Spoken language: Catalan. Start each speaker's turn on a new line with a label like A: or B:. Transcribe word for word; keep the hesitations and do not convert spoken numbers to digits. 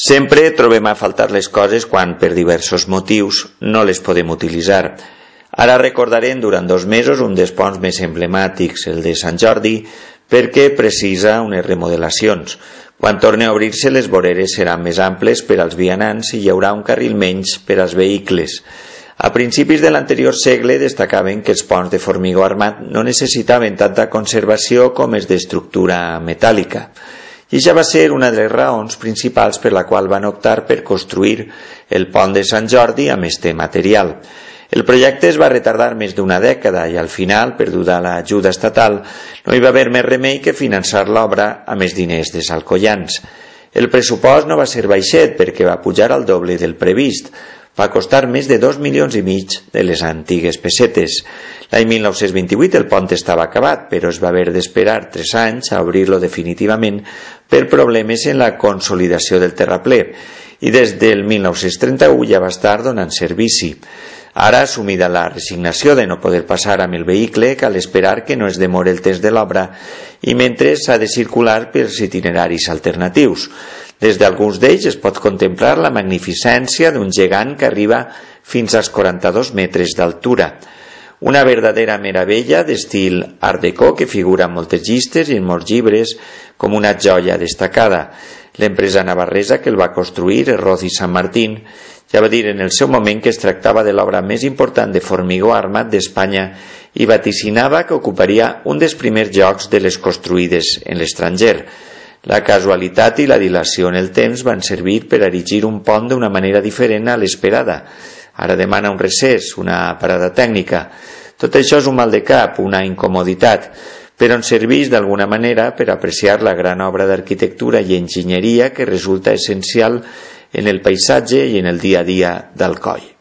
A: Sempre trobem a faltar les coses quan, per diversos motius, no les podem utilitzar. Ara recordarem durant dos mesos un dels ponts més emblemàtics, el de Sant Jordi, perquè precisa unes remodelacions. Quan torni a obrir-se, les voreres seran més amples per als vianants i hi haurà un carril menys per als vehicles. A principis de l'anterior segle destacaven que els ponts de formigó armat no necessitaven tanta conservació com els d'estructura metàl·lica. I això va ser una de les raons principals per la qual van optar per construir el pont de Sant Jordi amb este material. El projecte es va retardar més d'una dècada i al final, perduda l'ajuda estatal, no hi va haver més remei que finançar l'obra amb els diners dels alcoians. El pressupost no va ser baixet perquè va pujar al doble del previst. Va costar més de dos milions i mig de les antigues pessetes. L'any mil nou-cents vint-i-vuit el pont estava acabat, però es va haver d'esperar tres anys a obrir-lo definitivament per problemes en la consolidació del terraplè i des del mil nou-cents trenta-u ja va estar donant servici. Ara, assumida la resignació de no poder passar amb el vehicle, cal esperar que no es demore el temps de l'obra i mentre s'ha de circular pels itineraris alternatius. Des d'alguns d'ells es pot contemplar la magnificència d'un gegant que arriba fins als quaranta-dos metres d'altura. Una verdadera meravella d'estil art déco que figura en moltes llistes i en molts llibres com una joia destacada. L'empresa navarresa que el va construir, Roth i Sant Martín, ja va dir en el seu moment que es tractava de l'obra més important de formigó armat d'Espanya i vaticinava que ocuparia un dels primers llocs de les construïdes en l'estranger. La casualitat i la dilació en el temps van servir per erigir un pont d'una manera diferent a l'esperada. Ara demana un recés, una parada tècnica. Tot això és un mal de cap, una incomoditat, però ens serveix d'alguna manera per apreciar la gran obra d'arquitectura i enginyeria que resulta essencial en el paisatge i en el dia a dia d'Alcoi.